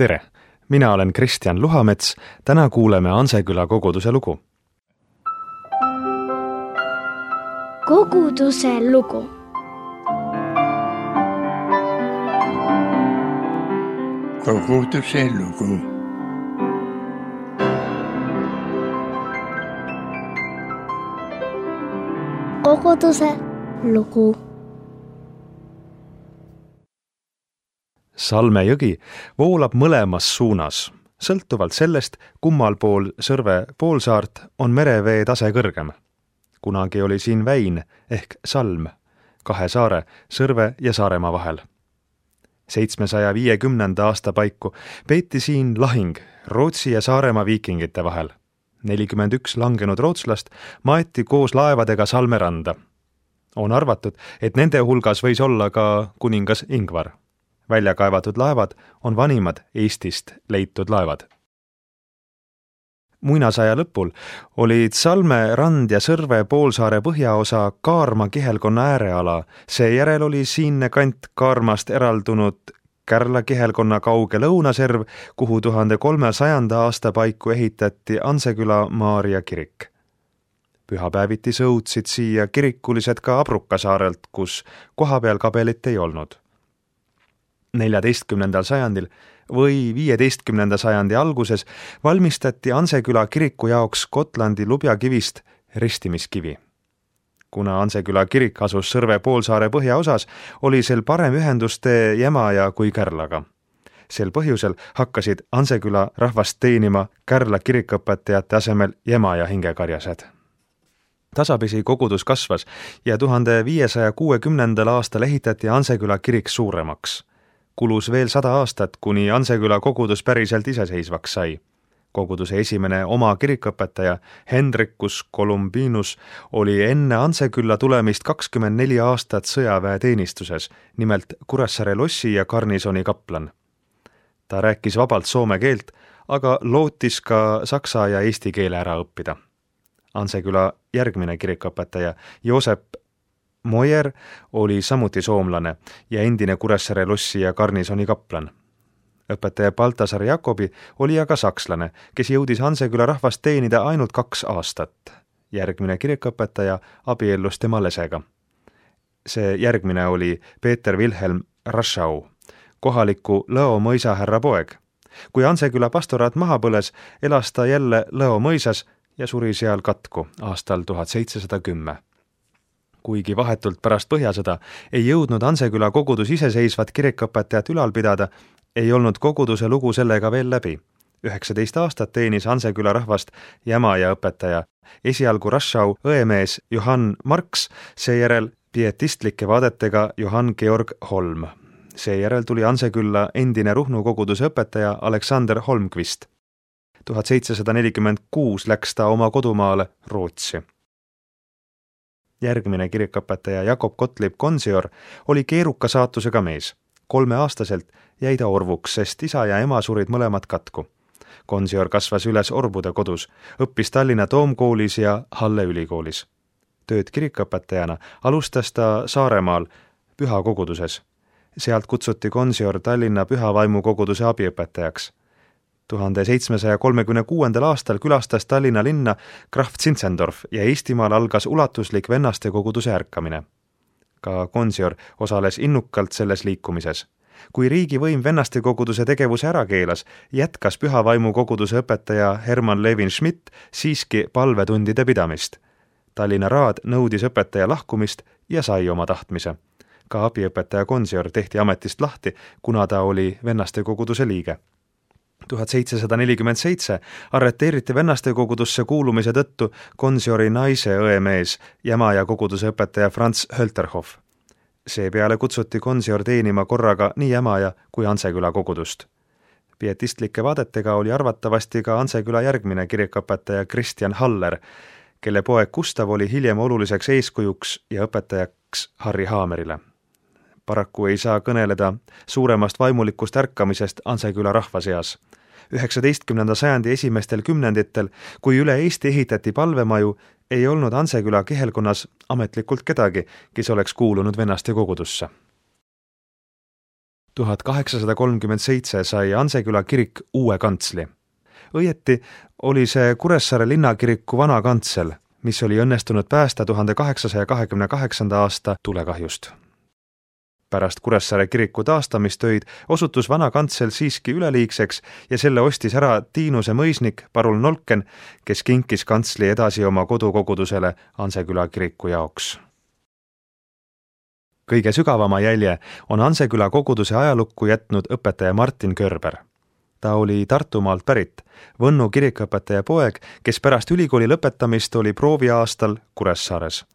Tere! Mina olen Kristjan Luhamets, täna kuuleme Anseküla koguduse lugu. Koguduse lugu. Koguduse lugu. Koguduse lugu. Salme jõgi voolab mõlemas suunas. Sõltuvalt sellest, kummal pool Sõrve poolsaart on merevee tase kõrgem. Kunagi oli siin väin ehk salm, kahe saare, Sõrve ja Saaremaa vahel. 750. aasta paiku peeti siin lahing Rootsi ja Saaremaa viikingite vahel. 41 langenud rootslast maeti koos laevadega Salme randa. On arvatud, et nende hulgas võis olla ka kuningas Ingvar. Välja kaevatud laevad on vanimad Eestist leitud laevad. Muinasaja lõpul olid Salme rand ja Sõrve poolsaare põhjaosa Kaarma kihelkonna ääreala, seejärel oli siinne kant Kaarmast eraldunud Kärla kihelkonna kauge lõunaserv, kuhu 1300. aasta paiku ehitati Anseküla Maarja kirik. Pühapäeviti sõudsid siia kirikulised ka Abruka saarelt, kus kohapeal kabelit ei olnud. 14. sajandil või 15. sajandi alguses valmistati Anseküla kiriku jaoks Gotlandi lubjakivist ristimiskivi. Kuna Anseküla kirik asus Sõrve poolsaare põhjaosas, oli sel parem ühendustee Jämaja kui Kärlaga. Sel põhjusel hakkasid Anseküla rahvast teenima Kärla kirikõpetajate asemel Jämaja hingekarjased. Tasapisi kogudus kasvas ja 1560. aastal ehitati Anseküla kirik suuremaks. Kulus veel 100 aastat, kuni Anseküla kogudus päriselt iseseisvaks sai. Koguduse esimene oma kirikõpetaja Hendrikus Columbinus oli enne Ansekülla tulemist 24 aastat sõjaväeteenistuses, nimelt Kuressaare lossi ja garnisoni kaplan. Ta rääkis vabalt soome keelt, aga lootis ka saksa ja eesti keele ära õppida. Anseküla järgmine kirikõpetaja Joosep Moyer oli samuti soomlane ja endine Kuressaare lossi ja garnisoni kaplan. Õpetaja Baltasar Jakobi oli aga sakslane, kes jõudis Anseküla rahvast teenida ainult 2 aastat. Järgmine kirikõpetaja abiellus tema lesega. See järgmine oli Peeter Wilhelm Raschau, kohaliku Lõo mõisa härra poeg. Kui Anseküla pastoraat maha põles, elas ta jälle Lõo mõisas ja suri seal katku aastal 1710. Kuigi vahetult pärast Põhjasõda ei jõudnud Anseküla kogudus iseseisvat kirikõpetajat ülal pidada, ei olnud koguduse lugu sellega veel läbi. 19 aastat teenis Anseküla rahvast Jämaja õpetaja, esialgu Raschau õemees Johann Marx, seejärel pietistlike vaadetega Johann Georg Holm. Seejärel tuli Ansekülla endine Ruhnu koguduse õpetaja Alexander Holmqvist. 1746 läks ta oma kodumaale Rootsi. Järgmine kirikõpetaja Jakob Gottlieb Konsior oli keeruka saatusega mees. 3-aastaselt jäi ta orvuks, sest isa ja ema surid mõlemad katku. Konsior kasvas üles orbude kodus, õppis Tallinna Toomkoolis ja Halle ülikoolis. Tööd kirikõpetajana alustas ta Saaremaal Püha koguduses. Sealt kutsuti Konsior Tallinna Pühavaimu koguduse abiõpetajaks. 1736. aastal külastas Tallinna linna Graf Zinzendorf ja Eestimaal algas ulatuslik vennaste koguduse ärkamine. Ka Konsior osales innukalt selles liikumises. Kui riigivõim vennaste koguduse tegevuse ära keelas, jätkas Pühavaimu koguduse õpetaja Hermann Levin Schmidt siiski palvetundide pidamist. Tallinna raad nõudis õpetaja lahkumist ja sai oma tahtmise. Ka abiõpetaja Konsior tehti ametist lahti, kuna ta oli vennaste koguduse liige. 1747 arreteeriti vennaste kogudusse kuulumise tõttu Konsiori naise õemees, Jämaja koguduse õpetaja Franz Hölterhoff. Seepeale kutsuti Konsior teenima korraga nii Jämaja kui Anseküla kogudust. Pietistlike vaadetega oli arvatavasti ka Anseküla järgmine kirikõpetaja Kristjan Haller, kelle poeg Gustav oli hiljem oluliseks eeskujuks ja õpetajaks Harri Haamerile. Paraku ei saa kõneleda suuremast vaimulikust ärkamisest Anseküla rahva seas. 19. sajandi esimestel kümnenditel, kui üle Eesti ehitati palvemaju, ei olnud Anseküla kihelkonnas ametlikult kedagi, kes oleks kuulunud vennaste kogudusse. 1837 sai Anseküla kirik uue kantsli. Õieti oli see Kuressaare linnakiriku vana kantsel, mis oli õnnestunud päästa 1828. aasta tulekahjust. Pärast Kuressaare kiriku taastamistöid osutus vana kantsel siiski üleliigseks ja selle ostis ära Tiinuse mõisnik Parul Nolken, kes kinkis kantsli edasi oma kodukogudusele Anseküla kiriku jaoks. Kõige sügavama jälje on Anseküla koguduse ajalukku jätnud õpetaja Martin Körber. Ta oli Tartumaalt pärit, Võnnu kirikuõpetaja poeg, kes pärast ülikooli lõpetamist oli prooviaastal Kuressaares.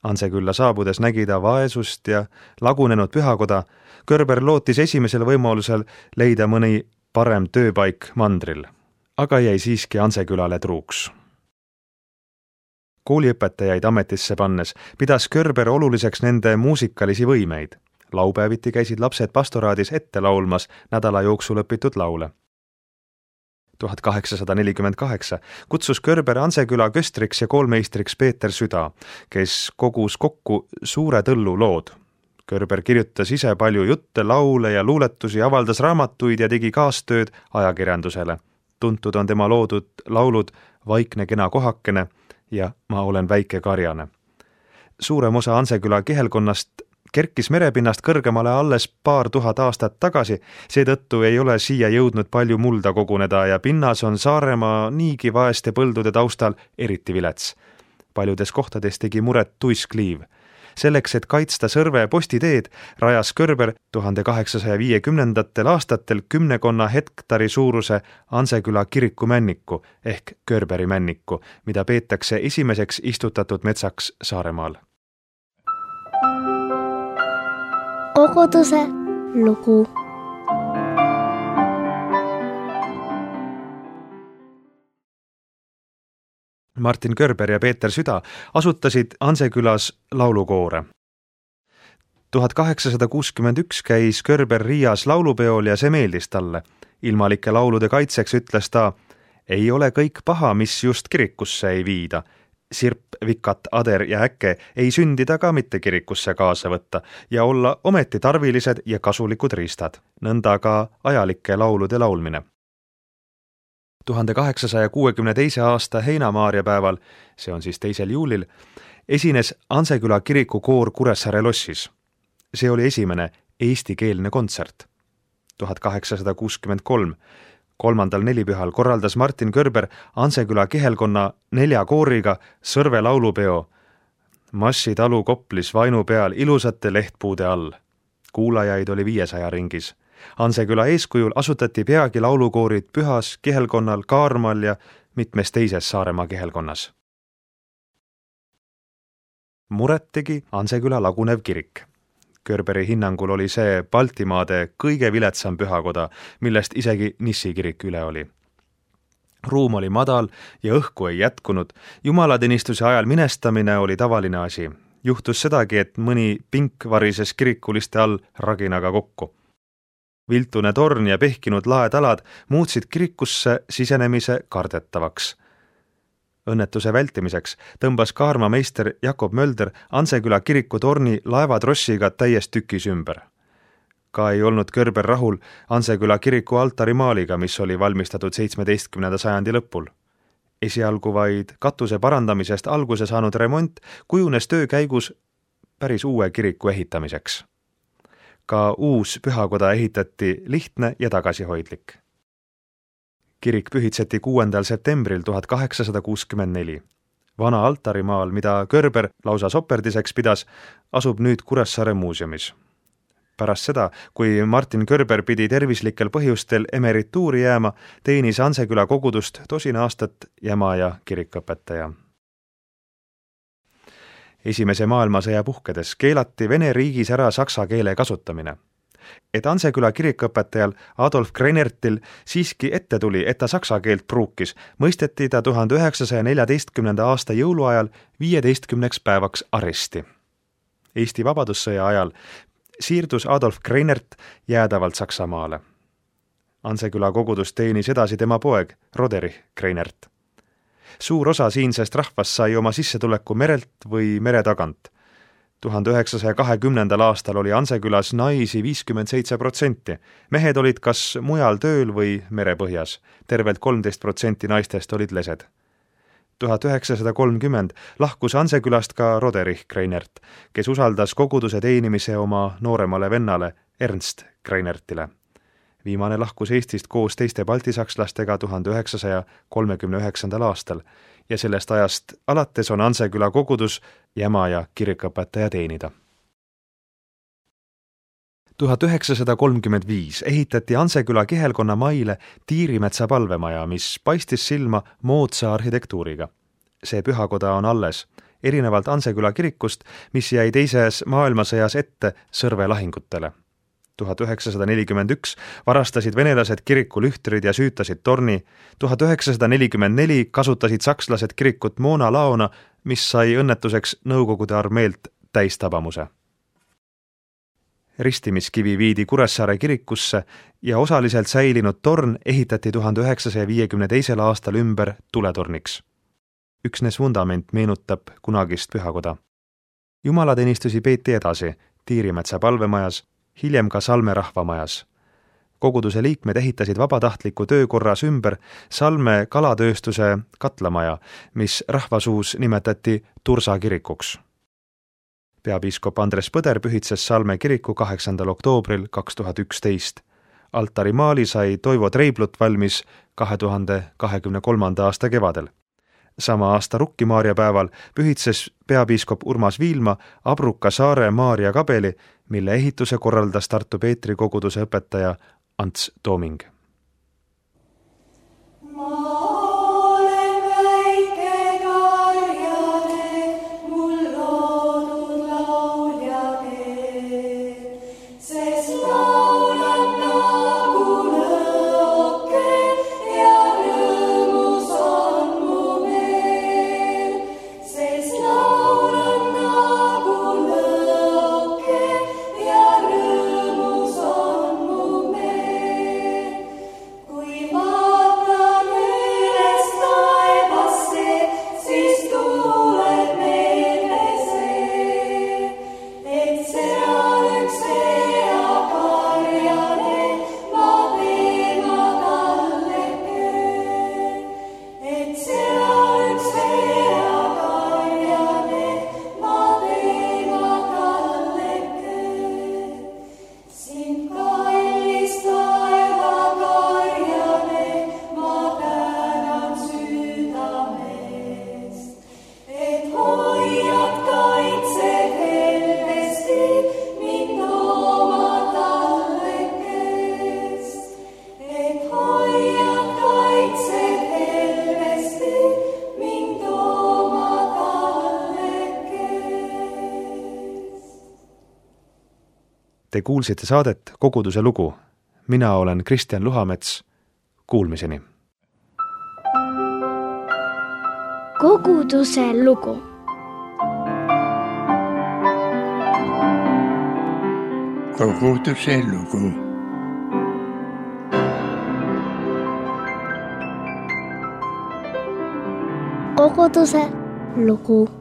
Ansekülla saabudes nägi ta vaesust ja lagunenud pühakoda. Körber lootis esimesel võimalusel leida mõni parem tööpaik mandril, aga jäi siiski Ansekülale truuks. Kooliõpetajaid ametisse pannes pidas Körber oluliseks nende muusikalisi võimeid. Laupäeviti käisid lapsed pastoraadis ette laulmas nädala jooksul õpitud laule. 1848 kutsus Körber Anseküla köstriks ja koolmeistriks Peeter Süda, kes kogus kokku suure tõllu lood. Körber kirjutas ise palju jutte, laule ja luuletusi, avaldas raamatuid ja tegi kaastööd ajakirjandusele. Tuntud on tema loodud laulud Vaikne kena kohakene ja Ma olen väike karjane. Suurem osa Anseküla kihelkonnast kerkis merepinnast kõrgemale alles paar tuhat aastat tagasi, seetõttu ei ole siia jõudnud palju mulda koguneda ja pinnas on Saaremaa niigi vaeste põldude taustal eriti vilets. Paljudes kohtades tegi muret tuiskliiv. Selleks, et kaitsta Sõrve postiteed, rajas Körber 1850. aastatel 10 hektari suuruse Anseküla kirikumänniku ehk Körberi männiku, mida peetakse esimeseks istutatud metsaks Saaremaal. Koguduse lugu. Martin Körber ja Peeter Süda asutasid Ansekülas laulukoore. 1861 käis Körber Riias laulupeol ja see meeldis talle. Ilmalike laulude kaitseks ütles ta, ei ole kõik paha, mis just kirikusse ei viida. Sirp, vikat, ader ja äkke ei sündida ka mitte kirikusse kaasa võtta ja olla ometi tarvilised ja kasulikud riistad. Nõnda ka ajalike laulude laulmine. 1862. aasta heinamaarjapäeval, see on siis 2. juulil, esines Anseküla kiriku koor Kuressaare lossis. See oli esimene eestikeelne kontsert. 1863. 3. nelipühal korraldas Martin Körber Anseküla kihelkonna 4 kooriga Sõrve laulupeo Massi talu Koplis vainu peal ilusate lehtpuude all. Kuulajaid oli 500 ringis. Anseküla eeskujul asutati peagi laulukoorid Pühas, kihelkonnal, Kaarmal ja mitmes teises Saaremaa kihelkonnas. Muret tegi Anseküla lagunev kirik. Körberi hinnangul oli see Baltimaade kõige viletsam pühakoda, millest isegi Nissi kirik üle oli. Ruum oli madal ja õhku ei jätkunud. Jumalateenistuse ajal minestamine oli tavaline asi. Juhtus sedagi, et mõni pink varises kirikuliste all raginaga kokku. Viltune torn ja pehkinud laetalad muutsid kirikusse sisenemise kardetavaks. Õnnetuse vältimiseks tõmbas kaarmameister Jakob Mölder Anseküla kiriku torni laevatrossiga täies tükis ümber. Ka ei olnud Körber rahul Anseküla kiriku altarimaaliga, mis oli valmistatud 17. sajandi lõpul. Esialgu vaid katuse parandamisest alguse saanud remont kujunes töö käigus päris uue kiriku ehitamiseks. Ka uus pühakoda ehitati lihtne ja tagasihoidlik. Kirik pühitseti 6. septembril 1864. Vana altarimaal, mida Körber lausa soperdiseks pidas, asub nüüd Kuressaare muuseumis. Pärast seda, kui Martin Körber pidi tervislikel põhjustel emerituuri jääma, teenis Anseküla kogudust 10 aastat jäma ja kirikõpetaja. Esimese maailmasõja puhkedes keelati Vene riigis ära saksa keele kasutamine. Et Anseküla kirikõpetajal Adolf Kreinertil siiski ette tuli, et ta saksa keelt pruukis, mõisteti ta 1914. aasta jõuluajal 15 päevaks aresti. Eesti vabadussõja ajal siirdus Adolf Kreinert jäädavalt Saksamaale. Anseküla kogudust teenis edasi tema poeg Roderich Kreinert. Suur osa siinsest rahvast sai oma sissetuleku merelt või mere tagant. 1920. aastal oli Ansekülas naisi 57%. Mehed olid kas mujal tööl või merepõhjas. Tervelt 13% naistest olid lesed. 1930 lahkus Ansekülast ka Roderich Kreinert, kes usaldas koguduse teenimise oma nooremale vennale Ernst Kreinertile. Viimane lahkus Eestist koos teiste baltisakslastega 1939. aastal ja sellest ajast alates on Anseküla kogudus jäma ja kirikuõpetaja teenida. 1935 ehitati Anseküla kihelkonna maile Tiirimetsa palvemaja, mis paistis silma moodsa arhitektuuriga. See pühakoda on alles, erinevalt Anseküla kirikust, mis jäi teises maailmasõjas ette sõrvelahingutele. 1941 varastasid venelased kiriku lühtrid ja süütasid torni, 1944 kasutasid sakslased kirikut moonalaona, mis sai õnnetuseks Nõukogude armeelt täistabamuse. Ristimiskivi viidi Kuressaare kirikusse ja osaliselt säilinud torn ehitati 1952. aastal ümber tuletorniks. Üksnes vundament meenutab kunagist pühakoda. Jumalateenistusi peeti edasi Tiirimetsa palvemajas, hiljem ka Salme rahvamajas. Koguduse liikmed ehitasid vabatahtliku töökorras ümber Salme kalatööstuse katlamaja, mis rahvasuus nimetati Tursa kirikuks. Peapiiskop Andres Põder pühitses Salme kiriku 8. oktoobril 2011. Altarimaali sai Toivo Treiblut valmis 2023. aasta kevadel. Sama aasta Rukki-Maarja päeval pühitses peapiiskop Urmas Viilma Abruka saare Maarja kabeli, mille ehituse korraldas Tartu Peetri koguduse õpetaja Ants Tooming. Te kuulsite saadet Koguduse lugu. Mina olen Kristjan Luhamets. Kuulmiseni. Koguduse lugu. Koguduse lugu. Koguduse lugu.